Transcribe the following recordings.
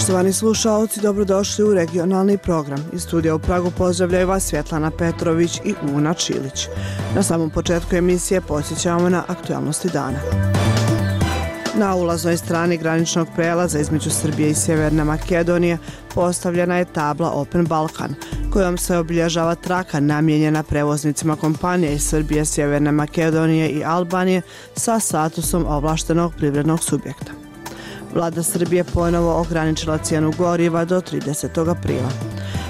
Poštovani slušaoci, dobrodošli u regionalni program. Iz studija u Pragu pozdravljaju vas Svjetlana Petrović i Una Čilić. Na samom početku emisije podsjećamo na aktualnosti dana. Na ulaznoj strani graničnog prelaza između Srbije i Sjeverne Makedonije postavljena je tabla Open Balkan, kojom se obilježava traka namijenjena prevoznicima kompanije iz Srbije, Sjeverne Makedonije i Albanije sa statusom ovlaštenog privrednog subjekta. Vlada Srbije ponovo ograničila cijenu goriva do 30. aprila.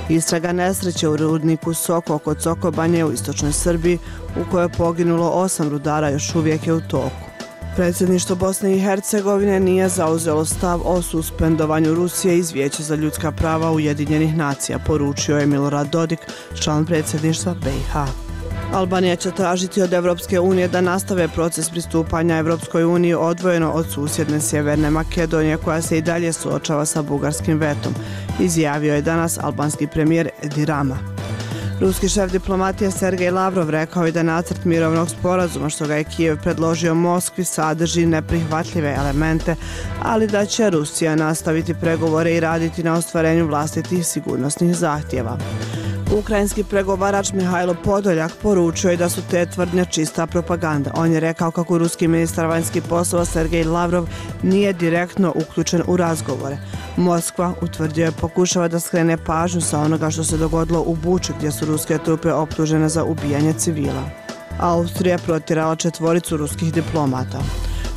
Istraga nesreće u rudniku Soko kod Sokobanje u istočnoj Srbiji, u kojoj je poginulo 8 rudara, još uvijek je u toku. Predsjedništvo Bosne i Hercegovine nije zauzelo stav o suspendovanju Rusije iz Vijeća za ljudska prava Ujedinjenih nacija, poručio je Milorad Dodik, član predsjedništva BiH. Albanija će tražiti od Evropske unije da nastave proces pristupanja Evropskoj uniji odvojeno od susjedne Sjeverne Makedonije, koja se i dalje suočava sa bugarskim vetom, izjavio je danas albanski premijer Edi Rama. Ruski šef diplomatije Sergej Lavrov rekao je da nacrt mirovnog sporazuma što ga je Kijev predložio Moskvi sadrži neprihvatljive elemente, ali da će Rusija nastaviti pregovore i raditi na ostvarenju vlastitih sigurnosnih zahtjeva. Ukrajinski pregovarač Mihajlo Podoljak poručio je da su te tvrdnje čista propaganda. On je rekao kako ruski ministar vanjskih poslova Sergej Lavrov nije direktno uključen u razgovore. Moskva, utvrdio je, pokušava da skrene pažnju sa onoga što se dogodilo u Buči, gdje su ruske trupe optužene za ubijanje civila. Austrija protjerala 4 ruskih diplomata.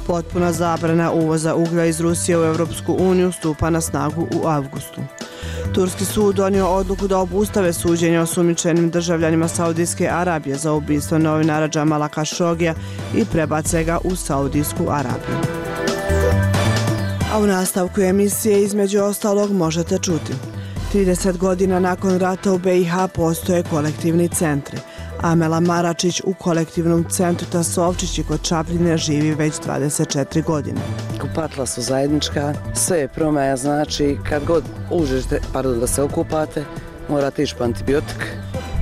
Potpuna zabrana uvoza uglja iz Rusije u Europsku uniju stupa na snagu u avgustu. Turski sud donio odluku da obustave suđenje osumnjičenim državljanima Saudijske Arabije za ubistvo novinara Džamala Kašogija i prebace ga u Saudijsku Arabiju. A u nastavku emisije između ostalog možete čuti: 30 godina nakon rata u BiH postoje kolektivni centri. Amela Maračić u kolektivnom centru Tasovčići kod Čapljine živi već 24 godine. Kupatila su zajednička, sve je promaja, znači kad god uđete, da se okupate, morate ići po antibiotik,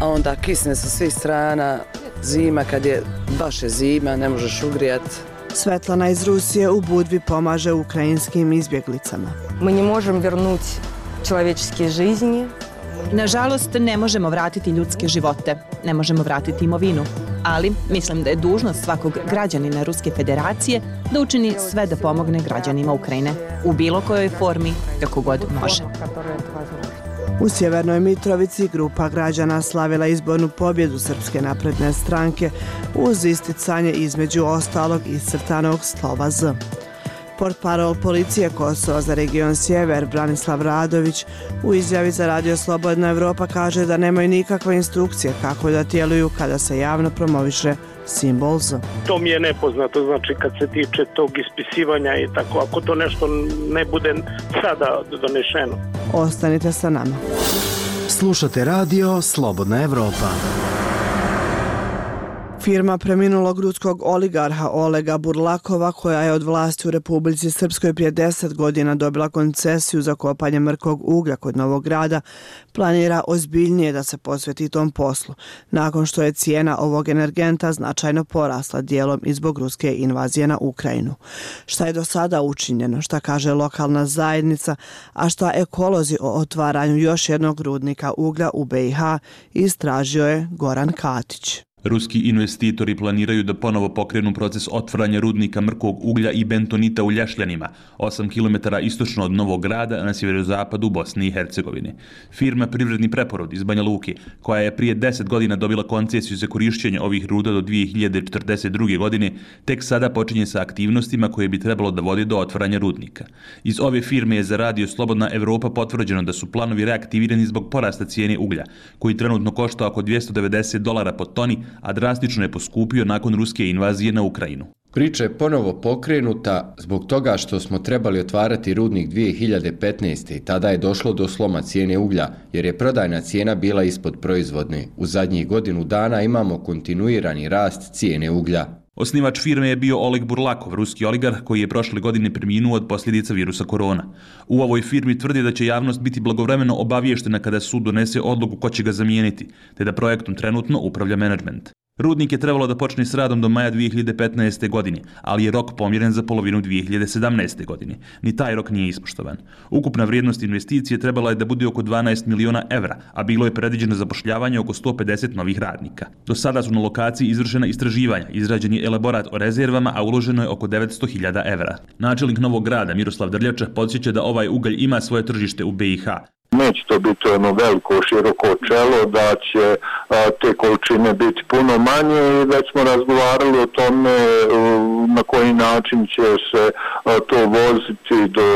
a onda kisne sa svih strana, zima, kad je baš je zima, ne možeš ugrijati. Svetlana iz Rusije u Budvi pomaže ukrajinskim izbjeglicama. Mi ne možemo vrnuti človečke жизни. Nažalost, ne možemo vratiti ljudske živote, ne možemo vratiti imovinu, ali mislim da je dužnost svakog građanina Ruske federacije da učini sve da pomogne građanima Ukrajine u bilo kojoj formi, kako god može. U Sjevernoj Mitrovici grupa građana slavila izbornu pobjedu Srpske napredne stranke uz isticanje između ostalog iscrtanog slova Z. Portparol policije Kosova za region Sjever Branislav Radović u izjavi za Radio Slobodna Evropa kaže da nemaju nikakve instrukcije kako da djeluju kada se javno promoviše simbol Z. To mi je nepoznato, znači kad se tiče tog ispisivanja i tako, ako to nešto ne bude sada donešeno. Ostanite sa nama. Slušate Radio Slobodna Evropa. Firma preminulog ruskog oligarha Olega Burlakova, koja je od vlasti u Republici Srpskoj prije 10 godina dobila koncesiju za kopanje mrkog uglja kod Novog Grada, planira ozbiljnije da se posveti tom poslu, nakon što je cijena ovog energenta značajno porasla, dijelom i zbog ruske invazije na Ukrajinu. Šta je do sada učinjeno, šta kaže lokalna zajednica, a šta ekolozi o otvaranju još jednog rudnika uglja u BiH, istražio je Goran Katić. Ruski investitori planiraju da ponovo pokrenu proces otvaranja rudnika mrkog uglja i bentonita u Ljašljanima, 8 km istočno od Novog Grada na sjeverozapadu Bosne i Hercegovine. Firma Privredni preporod iz Banja Luke, koja je prije 10 godina dobila koncesiju za korišćenje ovih ruda do 2042. godine, tek sada počinje sa aktivnostima koje bi trebalo da vode do otvaranja rudnika. Iz ove firme je za Radio Slobodna Evropa potvrđeno da su planovi reaktivirani zbog porasta cijene uglja, koji trenutno košta oko $290 po toni, a drastično je poskupio nakon ruske invazije na Ukrajinu. Priča je ponovo pokrenuta zbog toga što smo trebali otvarati rudnik 2015. i tada je došlo do sloma cijene uglja, jer je prodajna cijena bila ispod proizvodne. U zadnjih godinu dana imamo kontinuirani rast cijene uglja. Osnivač firme je bio Oleg Burlakov, ruski oligarh koji je prošle godine preminuo od posljedica virusa korona. U ovoj firmi tvrdi da će javnost biti blagovremeno obavještena kada sud donese odluku ko će ga zamijeniti, te da projektom trenutno upravlja menadžment. Rudnik je trebalo da počne s radom do maja 2015. godine, ali je rok pomjeren za polovinu 2017. godine. Ni taj rok nije ispoštovan. Ukupna vrijednost investicije trebala je da bude oko 12 miliona evra, a bilo je predviđeno zapošljavanje oko 150 novih radnika. Do sada su na lokaciji izvršena istraživanja, izrađen je elaborat o rezervama, a uloženo je oko 900.000 evra. Načelnik Novog Grada Miroslav Drljača podsjeća da ovaj ugalj ima svoje tržište u BiH. Neće to biti ono veliko, široko čelo, da će te količine biti puno manje i već smo razgovarali o tome na koji način će se to voziti do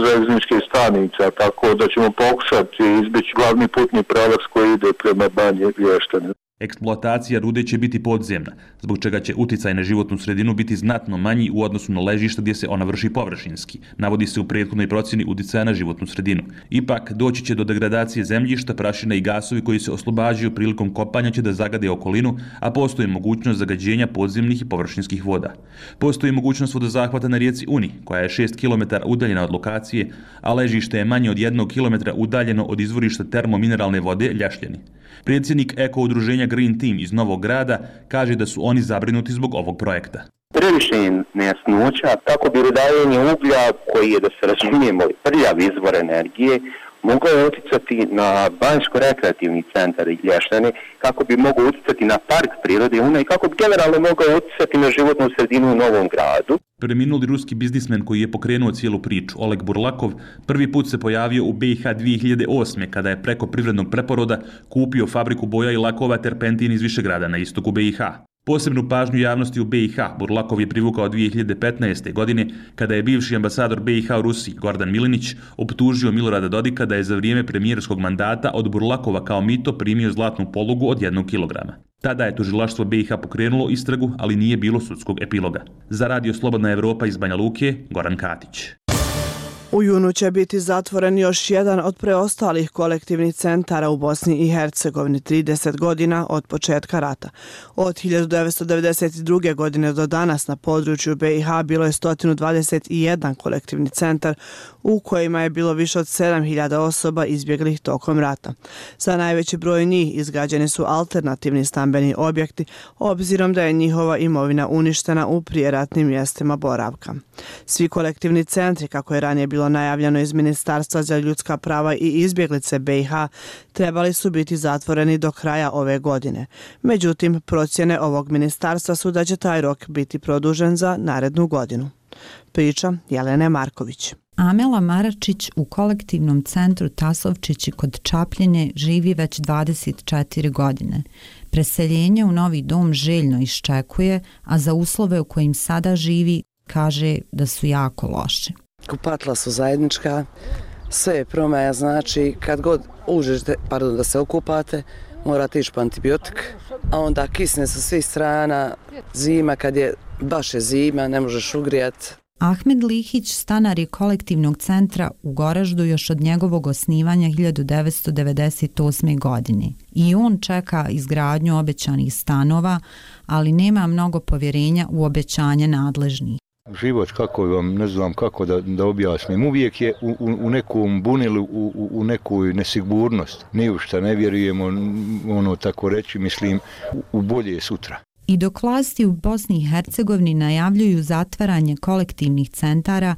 željezničkih stanica, tako da ćemo pokušati izbjeći glavni putni pravac koji ide prema Banji Lještane. Eksploatacija rude će biti podzemna, zbog čega će uticaj na životnu sredinu biti znatno manji u odnosu na ležište gdje se ona vrši površinski, navodi se u prethodnoj procjeni uticaja na životnu sredinu. Ipak, doći će do degradacije zemljišta, prašina i gasovi koji se oslobađaju prilikom kopanja će da zagade okolinu, a postoji mogućnost zagađenja podzemnih i površinskih voda. Postoji mogućnost vodozahvata na rijeci Uni, koja je 6 km udaljena od lokacije, a ležište je manje od 1 km udaljeno od izvorišta termomineralne vode Ljašljani. Predsjednik Eko udruženja Green Team iz Novog Grada kaže da su oni zabrinuti zbog ovog projekta. Previše je nejasnoća, tako bi rudarenje uglja, koji je, da se razumijemo, prljav izvor energije, mogao uticati na banjsko-rekreativni centar Lještane, kako bi mogao uticati na park prirode Una i kako bi generalno mogao uticati na životnu sredinu u Novom Gradu. Preminuli ruski biznismen koji je pokrenuo cijelu priču, Oleg Burlakov, prvi put se pojavio u BiH 2008. kada je preko privrednog preporoda kupio fabriku boja i lakova Terpentin iz Višegrada na istoku BiH. Posebnu pažnju javnosti u BiH Burlakov je privukao 2015. godine kada je bivši ambasador BiH u Rusiji Gordan Milinić optužio Milorada Dodika da je za vrijeme premijerskog mandata od Burlakova kao mito primio zlatnu polugu od 1 kilograma. Tada je tužilaštvo BiH pokrenulo istragu, ali nije bilo sudskog epiloga. Za Radio Slobodna Evropa iz Banja Luke, Goran Katić. U junu će biti zatvoren još jedan od preostalih kolektivnih centara u Bosni i Hercegovini 30 godina od početka rata. Od 1992. godine do danas na području BiH bilo je 121 kolektivni centar u kojima je bilo više od 7.000 osoba izbjeglih tokom rata. Za najveći broj njih izgrađeni su alternativni stambeni objekti, obzirom da je njihova imovina uništena u prijeratnim mjestima boravka. Svi kolektivni centri, kako je ranije bilo najavljeno iz Ministarstva za ljudska prava i izbjeglice BiH, trebali su biti zatvoreni do kraja ove godine. Međutim, procjene ovog ministarstva su da će taj rok biti produžen za narednu godinu. Priča Jelene Marković. Amela Maračić u kolektivnom centru Tasovčići kod Čapljine živi već 24 godine. Preseljenje u novi dom željno iščekuje, a za uslove u kojim sada živi kaže da su jako loše. Kupatla su zajednička, sve je promaja, znači kad god uđete, da se okupate, morate ići po antibiotik, a onda kisne sa svih strana, zima, kad je baš je zima, ne možeš ugrijati. Ahmed Lihić stanar je kolektivnog centra u Goraždu još od njegovog osnivanja 1998. godine. I on čeka izgradnju obećanih stanova, ali nema mnogo povjerenja u obećanje nadležnih. Život, kako vam, ne znam kako da objasnim, uvijek je u nekom bunilu, u nekoj nesigurnost. Ni u šta ne vjerujemo, ono tako reći, mislim, u bolje sutra. I dok vlasti u Bosni i Hercegovini najavljuju zatvaranje kolektivnih centara,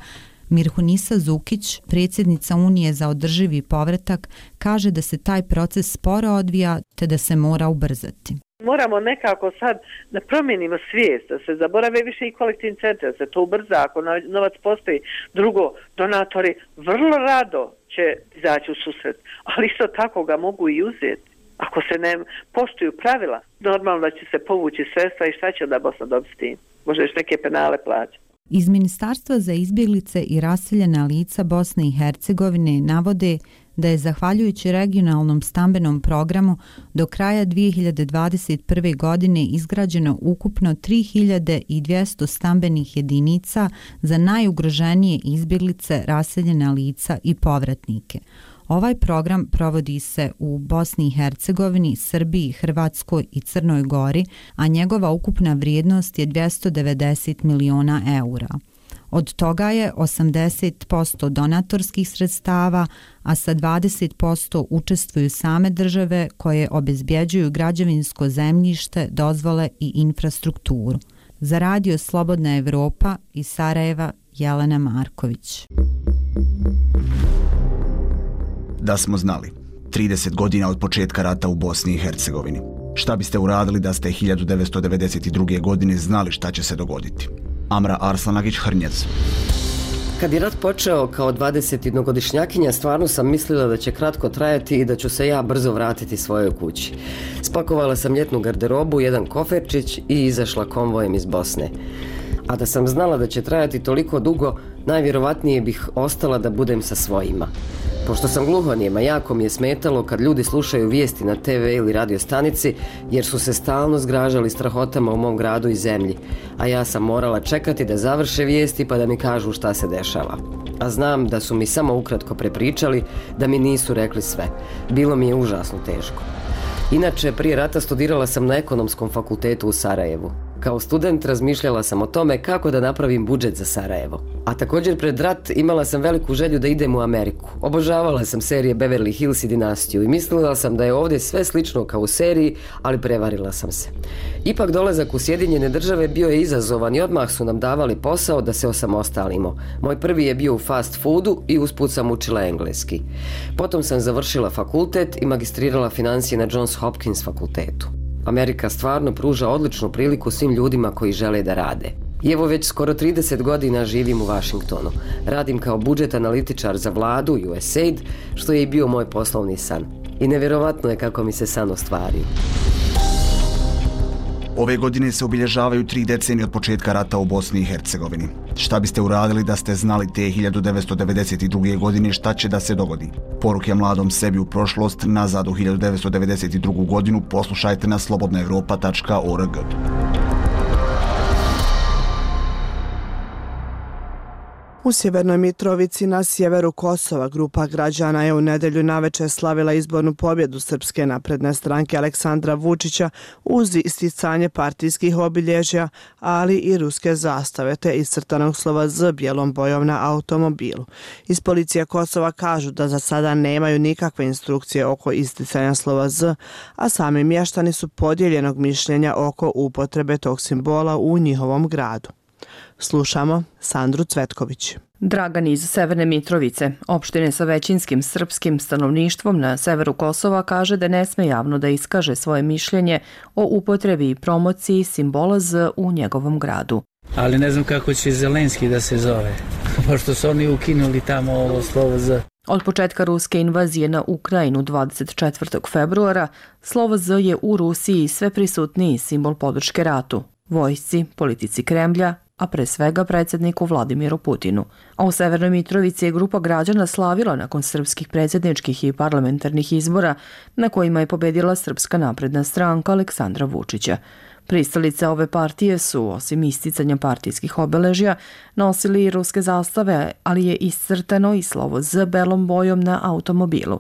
Mirhunisa Zukić, predsjednica Unije za održivi povratak, kaže da se taj proces sporo odvija te da se mora ubrzati. Moramo nekako sad da promijenimo svijest, da se zaborave više i kolektivni centri, da se to ubrza, ako novac postoji. Drugo, donatori vrlo rado će izaći u susret, ali isto tako ga mogu i uzeti. Ako se ne poštuju pravila, normalno da će se povući sredstva i šta će onda Bosna dobiti s tim? Možda još neke penale plaća. Iz Ministarstva za izbjeglice i raseljena lica Bosne i Hercegovine navode da je zahvaljujući regionalnom stambenom programu do kraja 2021. godine izgrađeno ukupno 3200 stambenih jedinica za najugroženije izbjeglice, raseljena lica i povratnike. Ovaj program provodi se u Bosni i Hercegovini, Srbiji, Hrvatskoj i Crnoj Gori, a njegova ukupna vrijednost je 290 miliona eura. Od toga je 80% donatorskih sredstava, a sa 20% učestvuju same države koje obezbjeđuju građevinsko zemljište, dozvole i infrastrukturu. Za radio Slobodna Evropa iz Sarajeva, Jelena Marković. Da smo znali, 30 godina od početka rata u Bosni i Hercegovini. Šta biste uradili da ste 1992. godine znali šta će se dogoditi? Amra Arslanagić-Hrnjec. Kad je rat počeo kao 21-godišnjakinja, stvarno sam mislila da će kratko trajati i da ću se ja brzo vratiti svojoj kući. Spakovala sam ljetnu garderobu, jedan koferčić i izašla konvojem iz Bosne. A da sam znala da će trajati toliko dugo, najvjerovatnije bih ostala da budem sa svojima. Pošto sam gluhonijema, jako mi je smetalo kad ljudi slušaju vijesti na TV ili radio stanici, jer su se stalno zgražali strahotama u mom gradu i zemlji, a ja sam morala čekati da završe vijesti pa da mi kažu šta se dešava. A znam da su mi samo ukratko prepričali, da mi nisu rekli sve. Bilo mi je užasno teško. Inače, prije rata studirala sam na ekonomskom fakultetu u Sarajevu. Kao student razmišljala sam o tome kako da napravim budžet za Sarajevo. A također pred rat imala sam veliku želju da idem u Ameriku. Obožavala sam serije Beverly Hills i Dinastiju i mislila sam da je ovdje sve slično kao u seriji, ali prevarila sam se. Ipak dolazak u Sjedinjene Države bio je izazovan i odmah su nam davali posao da se osamostalimo. Moj prvi je bio u fast foodu i usput sam učila engleski. Potom sam završila fakultet i magistrirala financije na Johns Hopkins fakultetu. Amerika stvarno pruža odličnu priliku svim ljudima koji žele da rade. I evo već skoro 30 godina živim u Washingtonu. Radim kao budžet analitičar za vladu USAID, što je i bio moj poslovni san. I nevjerovatno je kako mi se san ostvario. Ove godine se obilježavaju 3 decenije od početka rata u Bosni i Hercegovini. Šta biste uradili da ste znali te 1992. godine šta će da se dogodi? Poruke mladom sebi u prošlost, nazad u 1992. godinu, poslušajte na slobodnaevropa.org. U Sjevernoj Mitrovici na sjeveru Kosova grupa građana je u nedelju navečer slavila izbornu pobjedu Srpske napredne stranke Aleksandra Vučića uz isticanje partijskih obilježja, ali i ruske zastave te iscrtanog slova Z bijelom bojom na automobilu. Iz policije Kosova kažu da za sada nemaju nikakve instrukcije oko isticanja slova Z, a sami mještani su podijeljenog mišljenja oko upotrebe tog simbola u njihovom gradu. Slušamo Sandru Cvetković. Dragan iz Severne Mitrovice, opštine sa većinskim srpskim stanovništvom na severu Kosova, kaže da ne sme javno da iskaže svoje mišljenje o upotrebi i promociji simbola Z u njegovom gradu. Ali ne znam kako će Zelenski da se zove, pošto su oni ukinuli tamo ovo slovo Z. Od početka ruske invazije na Ukrajinu 24. februara, slovo Z je u Rusiji sve prisutniji simbol podrške ratu, vojsci, politici Kremlja, a pre svega predsjedniku Vladimiru Putinu. A u Severnoj Mitrovici je grupa građana slavila nakon srpskih predsjedničkih i parlamentarnih izbora na kojima je pobedila Srpska napredna stranka Aleksandra Vučića. Pristalice ove partije su, osim isticanja partijskih obeležja, nosili i ruske zastave, ali je iscrtano i slovo Z belom bojom na automobilu.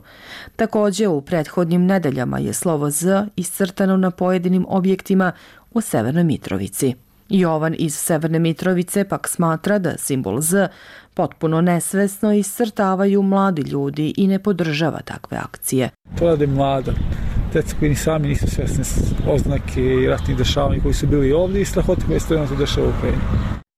Također, u prethodnim nedeljama je slovo Z iscrtano na pojedinim objektima u Severnoj Mitrovici. Jovan iz Severne Mitrovice pak smatra da simbol Z potpuno nesvesno iscrtavaju mladi ljudi i ne podržava takve akcije. To rade mlada. Deca koji ni sami nisu svesni oznake i ratnih dešavanja koji su bili ovdje i strahoti koje se trenutno dešava u Ukrajini.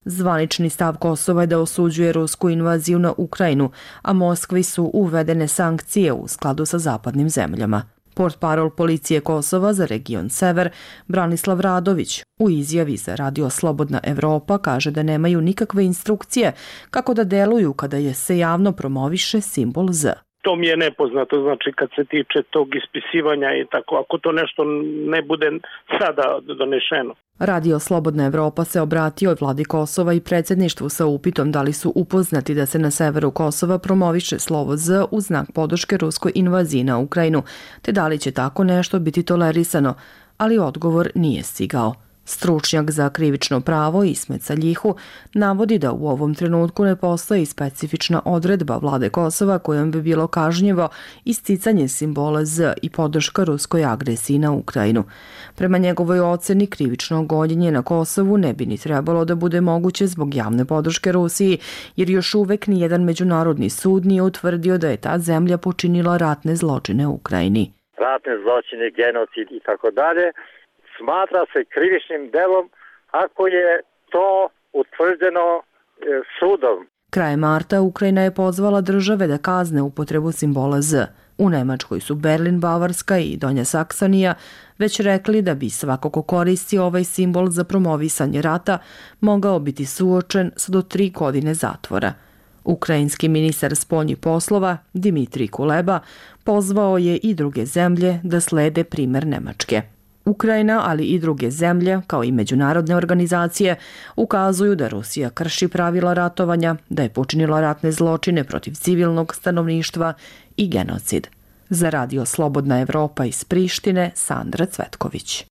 Zvanični stav Kosova je da osuđuje rusku invaziju na Ukrajinu, a Moskvi su uvedene sankcije u skladu sa zapadnim zemljama. Portparol policije Kosova za region Sever, Branislav Radović, u izjavi za radio Slobodna Evropa kaže da nemaju nikakve instrukcije kako da deluju kada je se javno promoviše simbol Z. To mi je nepoznato, znači kad se tiče tog ispisivanja i tako, ako to nešto ne bude sada donešeno. Radio Slobodna Evropa se obratio vladi Kosova i predsjedništvu sa upitom da li su upoznati da se na severu Kosova promoviše slovo Z u znak podrške ruskoj invaziji na Ukrajinu, te da li će tako nešto biti tolerisano, ali odgovor nije stigao. Stručnjak za krivično pravo Ismet Saljihu navodi da u ovom trenutku ne postoji specifična odredba vlade Kosova kojom bi bilo kažnjivo isticanje simbola Z i podrška ruskoj agresiji na Ukrajinu. Prema njegovoj oceni, krivično gonjenje na Kosovu ne bi ni trebalo da bude moguće zbog javne podrške Rusiji, jer još uvek nijedan međunarodni sud nije utvrdio da je ta zemlja počinila ratne zločine u Ukrajini. Ratne zločine, genocid i tako dalje smatra se krivičnim delom ako je to utvrđeno sudom. Krajem marta Ukrajina je pozvala države da kazne upotrebu simbola Z. U Nemačkoj su Berlin, Bavarska i Donja Saksonija već rekli da bi svako ko koristi ovaj simbol za promovisanje rata mogao biti suočen sa do 3 godine zatvora. Ukrajinski ministar spoljnih poslova Dimitrij Kuleba pozvao je i druge zemlje da slede primer Nemačke. Ukrajina, ali i druge zemlje, kao i međunarodne organizacije, ukazuju da Rusija krši pravila ratovanja, da je počinila ratne zločine protiv civilnog stanovništva i genocid. Za Radio Slobodna Evropa iz Prištine, Sandra Cvetković.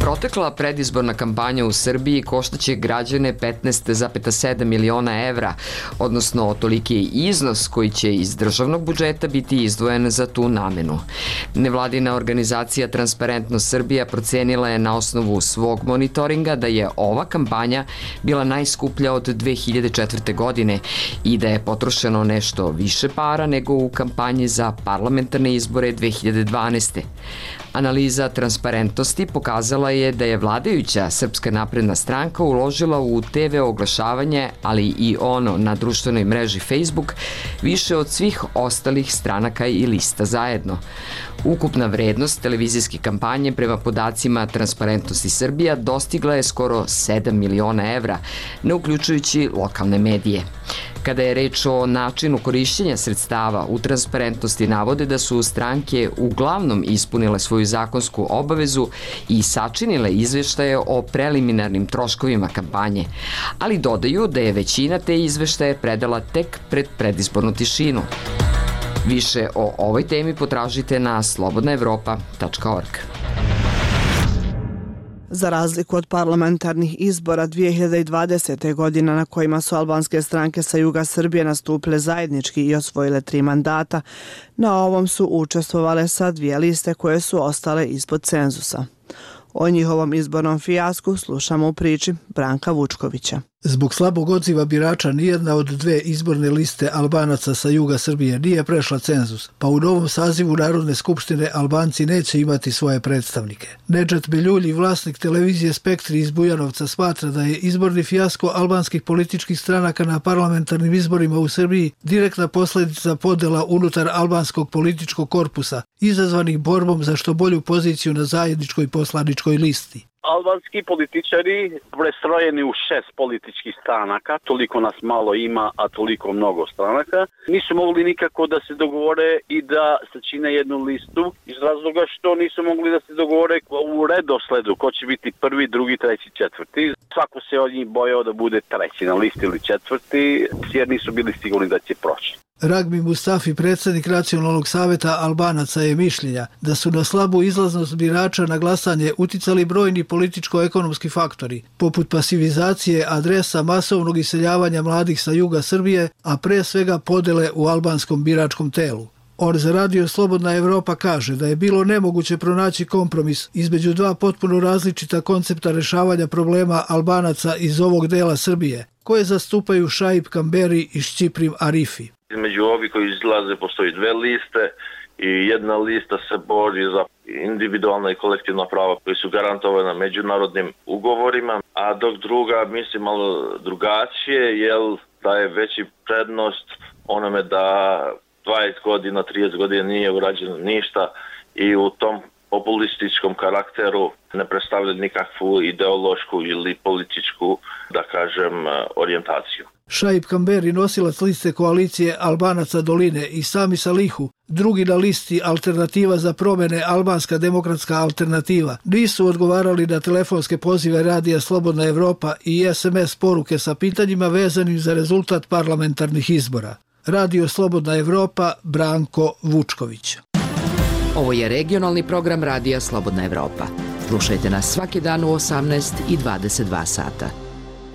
Protekla predizborna kampanja u Srbiji koštaće građane 15,7 miliona evra, odnosno toliki je iznos koji će iz državnog budžeta biti izdvojen za tu namenu. Nevladina organizacija Transparentnost Srbija procenila je na osnovu svog monitoringa da je ova kampanja bila najskuplja od 2004. godine i da je potrošeno nešto više para nego u kampanji za parlamentarne izbore 2012. Analiza Transparentnosti pokazala je da je vladajuća Srpska napredna stranka uložila u TV oglašavanje, ali i ono na društvenoj mreži Facebook, više od svih ostalih stranaka i lista zajedno. Ukupna vrednost televizijske kampanje prema podacima Transparentnosti Srbija dostigla je skoro 7 miliona evra, ne uključujući lokalne medije. Kada je reč o načinu korišćenja sredstava, u Transparentnosti navode da su stranke uglavnom ispunile svoju zakonsku obavezu i sačinile izveštaje o preliminarnim troškovima kampanje, ali dodaju da je većina te izveštaje predala tek pred predizbornu tišinu. Više o ovoj temi potražite na slobodnaevropa.org. Za razliku od parlamentarnih izbora 2020. godina na kojima su albanske stranke sa juga Srbije nastupile zajednički i osvojile 3 mandata, na ovom su učestvovale sa 2 liste koje su ostale ispod cenzusa. O njihovom izbornom fijasku slušamo u priči Branka Vučkovića. Zbog slabog odziva birača nijedna od 2 izborne liste Albanaca sa juga Srbije nije prešla cenzus, pa u novom sazivu Narodne skupštine Albanci neće imati svoje predstavnike. Nedžet Beljulji, vlasnik televizije Spektri iz Bujanovca, smatra da je izborni fijasko albanskih političkih stranaka na parlamentarnim izborima u Srbiji direktna posljedica podela unutar albanskog političkog korpusa, izazvanih borbom za što bolju poziciju na zajedničkoj poslaničkoj listi. Albanski političari prestrojeni u 6 političkih stranaka, toliko nas malo ima, a toliko mnogo stranaka, nisu mogli nikako da se dogovore i da sačine jednu listu iz razloga što nisu mogli da se dogovore u redosledu ko će biti prvi, drugi, treći, četvrti. Svako se od njih bojao da bude treći na listi ili četvrti, jer nisu bili sigurni da će proći. Ragbi Mustafi, predsjednik Nacionalnog saveta Albanaca, je mišljenja da su na slabu izlaznost birača na glasanje uticali brojni političko-ekonomski faktori, poput pasivizacije adresa, masovnog iseljavanja mladih sa juga Srbije, a pre svega podele u albanskom biračkom telu. On za Radio Slobodna Evropa kaže da je bilo nemoguće pronaći kompromis između 2 potpuno različita koncepta rešavanja problema Albanaca iz ovog dela Srbije, koje zastupaju Šaip Kamberi i Šćiprim Arifi. Između ovih koji izlaze postoji 2 liste i jedna lista se bori za individualna i kolektivna prava koji su garantovana međunarodnim ugovorima, a dok druga misli malo drugačije, jer daje veći prednost onome da 20 godina, 30 godina nije urađeno ništa i u tom populističkom karakteru ne predstavlja nikakvu ideološku ili političku, da kažem, orijentaciju. Šaip Kamberi, nosilac liste koalicije Albanaca Doline, i Sami Salihu, drugi na listi Alternativa za promjene Albanska demokratska alternativa, nisu odgovarali na telefonske pozive Radija Slobodna Evropa i SMS poruke sa pitanjima vezanim za rezultat parlamentarnih izbora. Radio Slobodna Evropa, Branko Vučković. Ovo je regionalni program Radija Slobodna Evropa. Slušajte nas svaki dan u 18 i 22 sata.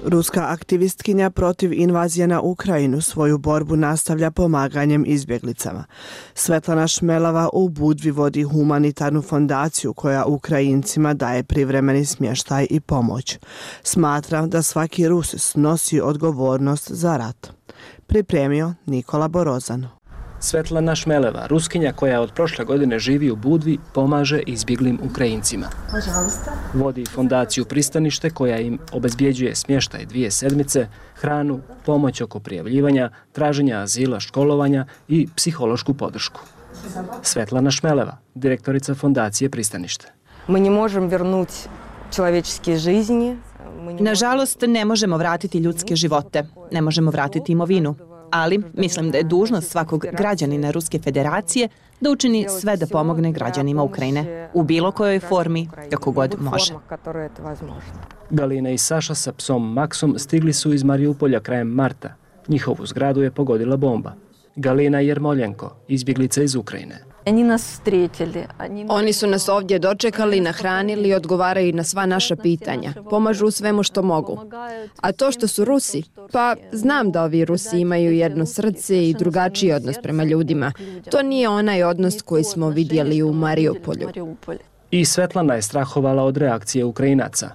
Ruska aktivistkinja protiv invazije na Ukrajinu svoju borbu nastavlja pomaganjem izbjeglicama. Svetlana Šmelava u Budvi vodi humanitarnu fondaciju koja Ukrajincima daje privremeni smještaj i pomoć. Smatra da svaki Rus snosi odgovornost za rat. Pripremio Nikola Borozan. Svetlana Šmeleva, Ruskinja koja od prošle godine živi u Budvi, pomaže izbjeglim Ukrajincima. Vodi fondaciju Pristanište koja im obezbjeđuje smještaj 2 sedmice, hranu, pomoć oko prijavljivanja, traženja azila, školovanja i psihološku podršku. Svetlana Šmeleva, direktorica fondacije Pristanište. Mi ne možemo vrnuti človečke жизни. Nažalost, ne možemo vratiti ljudske živote, ne možemo vratiti imovinu. Ali mislim da je dužnost svakog građanina Ruske federacije da učini sve da pomogne građanima Ukrajine u bilo kojoj formi, kako god može. Galina i Saša sa psom Maksom stigli su iz Mariupolja krajem marta. Njihovu zgradu je pogodila bomba. Galina Jermoljenko, izbjeglica iz Ukrajine. Oni su nas ovdje dočekali, nahranili, odgovaraju na sva naša pitanja. Pomažu u svemu što mogu. A to što su Rusi, pa znam da ovi Rusi imaju jedno srce i drugačiji odnos prema ljudima. To nije onaj odnos koji smo vidjeli u Mariupolju. I Svetlana je strahovala od reakcije Ukrajinaca.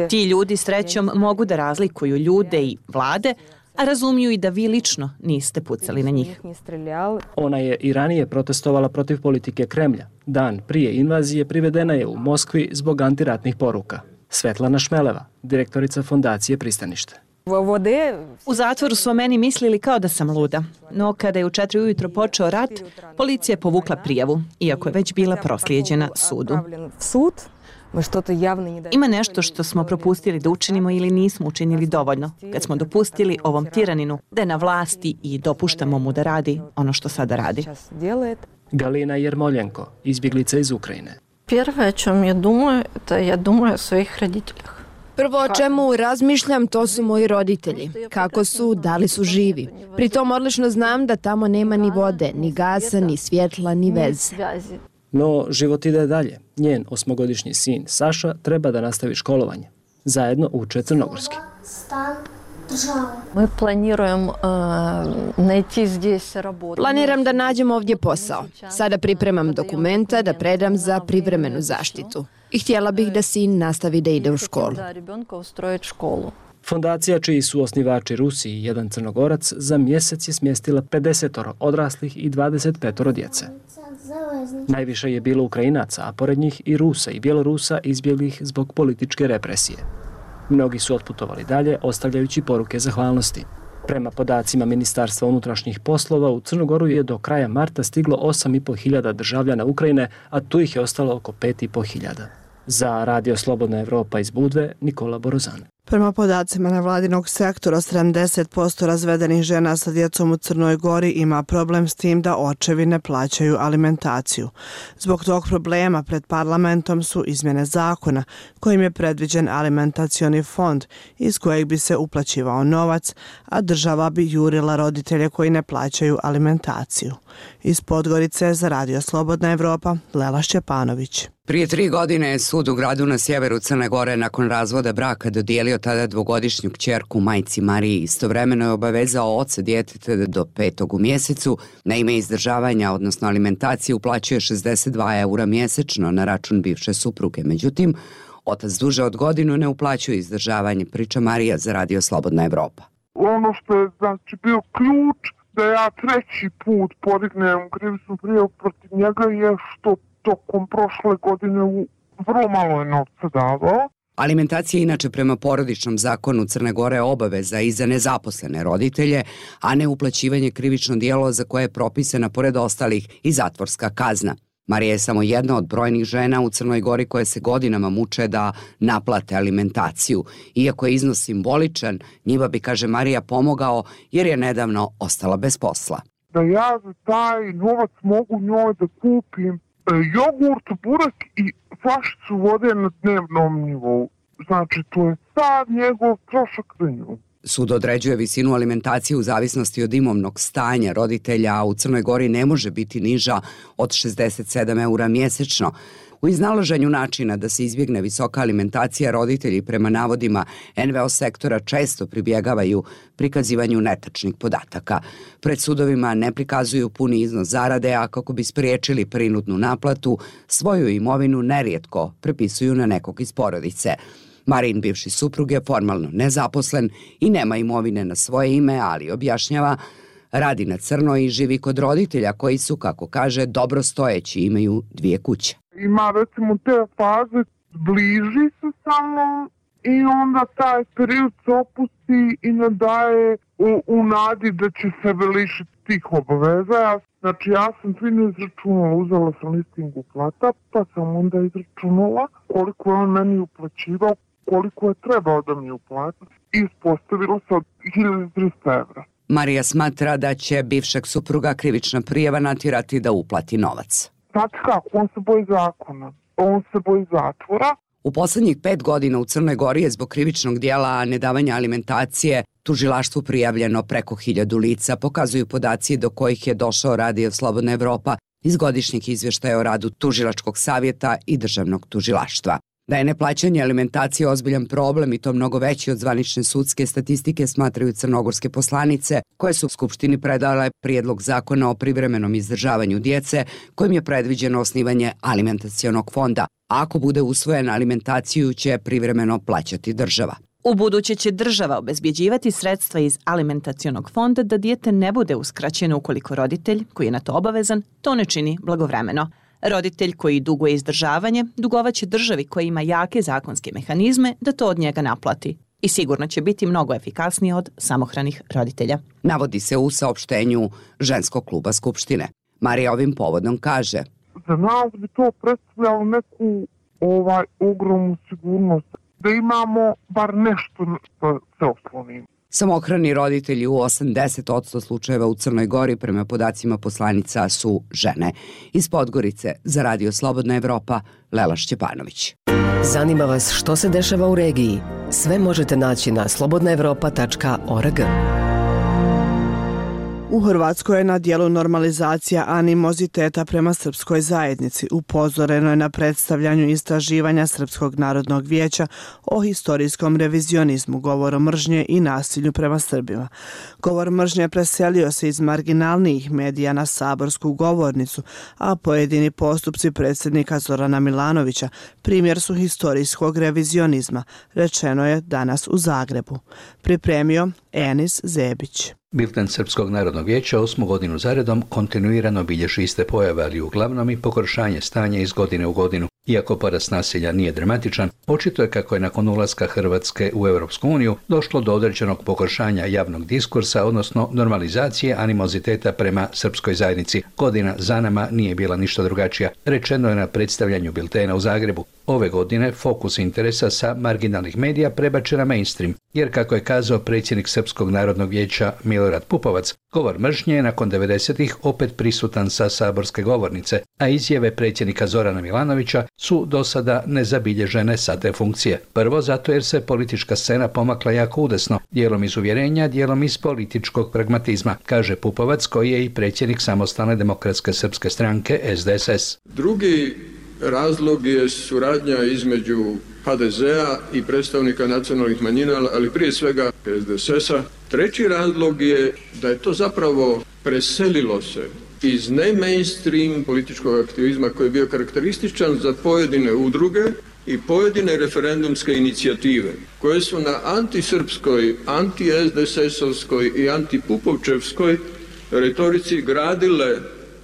Ti ljudi srećom mogu da razlikuju ljude i vlade, a razumiju i da vi lično niste pucali na njih. Ona je i ranije protestovala protiv politike Kremlja. Dan prije invazije privedena je u Moskvi zbog antiratnih poruka. Svetlana Šmeleva, direktorica fondacije Pristanište. U zatvoru su o meni mislili kao da sam luda, no kada je u 4 ujutro počeo rat, policija je povukla prijavu, iako je već bila proslijeđena sudu. Ima nešto što smo propustili da učinimo ili nismo učinili dovoljno, kad smo dopustili ovom tiraninu da je na vlasti i dopuštamo mu da radi ono što sada radi. Galina Jermoljenko, izbjeglica iz Ukrajine. Prvo o čem ja думаю, to ja думаю o svojih roditeljih. Prvo o čemu razmišljam, to su moji roditelji. Kako su, da li su živi. Pritom odlično znam da tamo nema ni vode, ni gasa, ni svjetla, ni veze. No, život ide dalje. Njen 8-godišnji sin Saša treba da nastavi školovanje. Zajedno uče crnogorski. Planiram da nađem ovdje posao. Sada pripremam dokumenta da predam za privremenu zaštitu. I htjela bih da sin nastavi da ide u školu. Fondacija, čiji su osnivači Rusi i jedan Crnogorac, za mjesec je smjestila 50 odraslih i 25 djece. Najviše je bilo Ukrajinaca, a pored njih i Rusa i Bjelorusa izbjeglih zbog političke represije. Mnogi su otputovali dalje, ostavljajući poruke zahvalnosti. Prema podacima Ministarstva unutrašnjih poslova, u Crnogoru je do kraja marta stiglo 8.500 državljana Ukrajine, a tu ih je ostalo oko 5.500. Za Radio Slobodna Evropa iz Budve, Nikola Borozan. Prema podacima nevladinog sektora, 70% razvedenih žena sa djecom u Crnoj Gori ima problem s tim da očevi ne plaćaju alimentaciju. Zbog tog problema pred parlamentom su izmjene zakona kojim je predviđen alimentacioni fond iz kojeg bi se uplaćivao novac, a država bi jurila roditelje koji ne plaćaju alimentaciju. Iz Podgorice za Radio Slobodna Evropa, Lela Šćepanović. Prije 3 godine je sud u gradu na sjeveru Crne Gore nakon razvoda braka dodijelio tada 2-godišnju kćerku majci Mariji. Istovremeno je obavezao oca djeteta da do 5. u mjesecu na ime izdržavanja, odnosno alimentacije, uplaćuje 62 eura mjesečno na račun bivše supruge. Međutim, otac duže od godinu ne uplaćuje izdržavanje, priča Marija za Radio Slobodna Evropa. Ono što je znači bio ključ da ja 3. put podignem krivičnu prijavu protiv njega je što tokom prošle godine vrlo malo je novca davao. Alimentacija inače prema porodičnom zakonu Crne Gore je obaveza i za nezaposlene roditelje, a ne uplaćivanje krivično djelo za koje je propisana pored ostalih i zatvorska kazna. Marija je samo jedna od brojnih žena u Crnoj Gori koje se godinama muče da naplate alimentaciju. Iako je iznos simboličan, njima bi, kaže Marija, pomogao jer je nedavno ostala bez posla. Da ja za taj novac mogu njoj da kupim jogurt, burek i flašicu vode na dnevnom nivou. Znači, to je sad njegov trošak za nju. Sud određuje visinu alimentacije u zavisnosti od imovnog stanja roditelja, a u Crnoj Gori ne može biti niža od 67 eura mjesečno. U iznalaženju načina da se izbjegne visoka alimentacija, roditelji prema navodima NVO sektora često pribjegavaju prikazivanju netačnih podataka. Pred sudovima ne prikazuju puni iznos zarade, a kako bi spriječili prinudnu naplatu, svoju imovinu nerijetko prepisuju na nekog iz porodice. Marin, bivši suprug, je formalno nezaposlen i nema imovine na svoje ime, ali objašnjava, radi na crno i živi kod roditelja koji su, kako kaže, dobro stojeći, imaju 2 kuće. Ima recimo te faze, bliži se sa mnom i onda taj period se opusti i ne daje u nadi da će sebe lišiti tih obaveza. Znači ja sam fino izračunala, uzela sam listing uplata, pa sam onda izračunala koliko je on meni uplaćivao, koliko je trebao da mi uplati i ispostavilo se od 1300 evra. Marija smatra da će bivšeg supruga krivična prijava natjerati da uplati novac. Znači kako, on se boji zakona, on se boji zatvora. U poslednjih 5 godina u Crnoj Gori je zbog krivičnog dijela nedavanja alimentacije tužilaštvu prijavljeno preko 1000 lica, pokazuju podaci do kojih je došao Radio Slobodna Evropa iz godišnjih izvještaja o radu Tužilačkog savjeta i Državnog tužilaštva. Da je neplaćanje alimentacije ozbiljan problem i to mnogo veći od zvanične sudske statistike, smatraju crnogorske poslanice koje su u Skupštini predale prijedlog zakona o privremenom izdržavanju djece kojim je predviđeno osnivanje alimentacionog fonda. A ako bude usvojen, alimentaciju će privremeno plaćati država. U buduće će država obezbjeđivati sredstva iz alimentacionog fonda da dijete ne bude uskraćeno ukoliko roditelj, koji je na to obavezan, to ne čini blagovremeno. Roditelj koji duguje izdržavanje dugovaće državi koja ima jake zakonske mehanizme da to od njega naplati i sigurno će biti mnogo efikasniji od samohranih roditelja. Navodi se u saopštenju ženskog kluba Skupštine. Marija ovim povodom kaže: za nas bi to predstavljalo neku ogromnu sigurnost, da imamo bar nešto što se oslonimo. Samohrani roditelji u 80% slučajeva u Crnoj Gori prema podacima poslanica su žene. Iz Podgorice za Radio Slobodna Evropa, Lela Šćepanović. Zanima vas što se dešava u regiji? Sve možete naći na slobodnaevropa.org. U Hrvatskoj je na dijelu normalizacija animoziteta prema srpskoj zajednici. Upozoreno je na predstavljanju istraživanja Srpskog narodnog vijeća o historijskom revizionizmu, govoru mržnje i nasilju prema Srbima. Govor mržnje preselio se iz marginalnijih medija na saborsku govornicu, a pojedini postupci predsjednika Zorana Milanovića primjer su historijskog revizionizma, rečeno je danas u Zagrebu. Pripremio Enis Zebić. Bilten Srpskog narodnog vijeća 8. godinu zaredom kontinuirano bilježi iste pojave, ali uglavnom i pogoršanje stanja iz godine u godinu. Iako porast nasilja nije dramatičan, očito je kako je nakon ulaska Hrvatske u Europsku uniju došlo do određenog pogoršanja javnog diskursa, odnosno normalizacije animoziteta prema srpskoj zajednici. Godina za nama nije bila ništa drugačija, rečeno je na predstavljanju biltena u Zagrebu. Ove godine fokus interesa sa marginalnih medija prebačen na mainstream, jer kako je kazao predsjednik Srpskog narodnog vijeća Milorad Pupovac, govor mržnje je nakon 90-ih opet prisutan sa saborske govornice, a izjave predsjednika Zorana Milanovića su do sada nezabilježene sa te funkcije. Prvo zato jer se politička scena pomakla jako udesno, dijelom iz uvjerenja, dijelom iz političkog pragmatizma, kaže Pupovac, koji je i predsjednik Samostalne demokratske srpske stranke SDSS. Drugi razlog je suradnja između HDZ-a i predstavnika nacionalnih manjina, ali prije svega SDSS-a. Treći razlog je da je to zapravo preselilo se iz ne-mainstream političkog aktivizma koji je bio karakterističan za pojedine udruge i pojedine referendumske inicijative koje su na antisrpskoj, anti-SDSS-ovskoj i antipupovčevskoj retorici gradile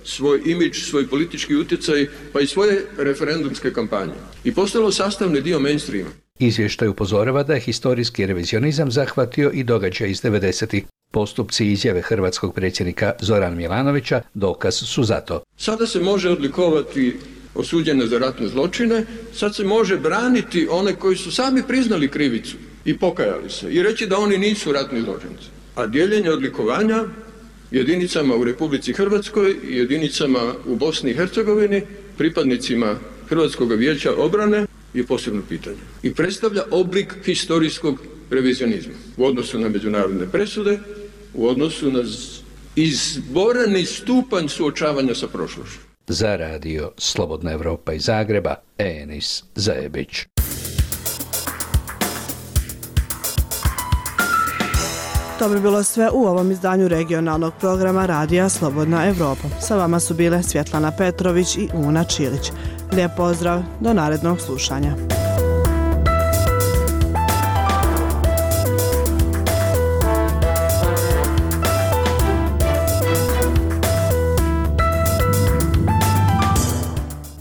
svoj imidž, svoj politički utjecaj, pa i svoje referendumske kampanje. I postalo sastavni dio mainstreama. Izvještaj upozorava da je historijski revizionizam zahvatio i događaj iz 90-ih. Postupci i izjave hrvatskog predsjednika Zorana Milanovića dokaz su za to. Sada se može odlikovati osuđene za ratne zločine, sad se može braniti one koji su sami priznali krivicu i pokajali se i reći da oni nisu ratni zločinci. A dijeljenje odlikovanja jedinicama u Republici Hrvatskoj i jedinicama u Bosni i Hercegovini, pripadnicima Hrvatskog vijeća obrane, je posebno pitanje. I predstavlja oblik historijskog revizionizma u odnosu na međunarodne presude, u odnosu na izboreni stupanj suočavanja sa prošlošću. Za radio Slobodna Evropa iz Zagreba, Enis Zajebić. To bi bilo sve u ovom izdanju regionalnog programa Radija Slobodna Evropa. Sa vama su bile Svjetlana Petrović i Una Čilić. Lijep pozdrav, do narednog slušanja.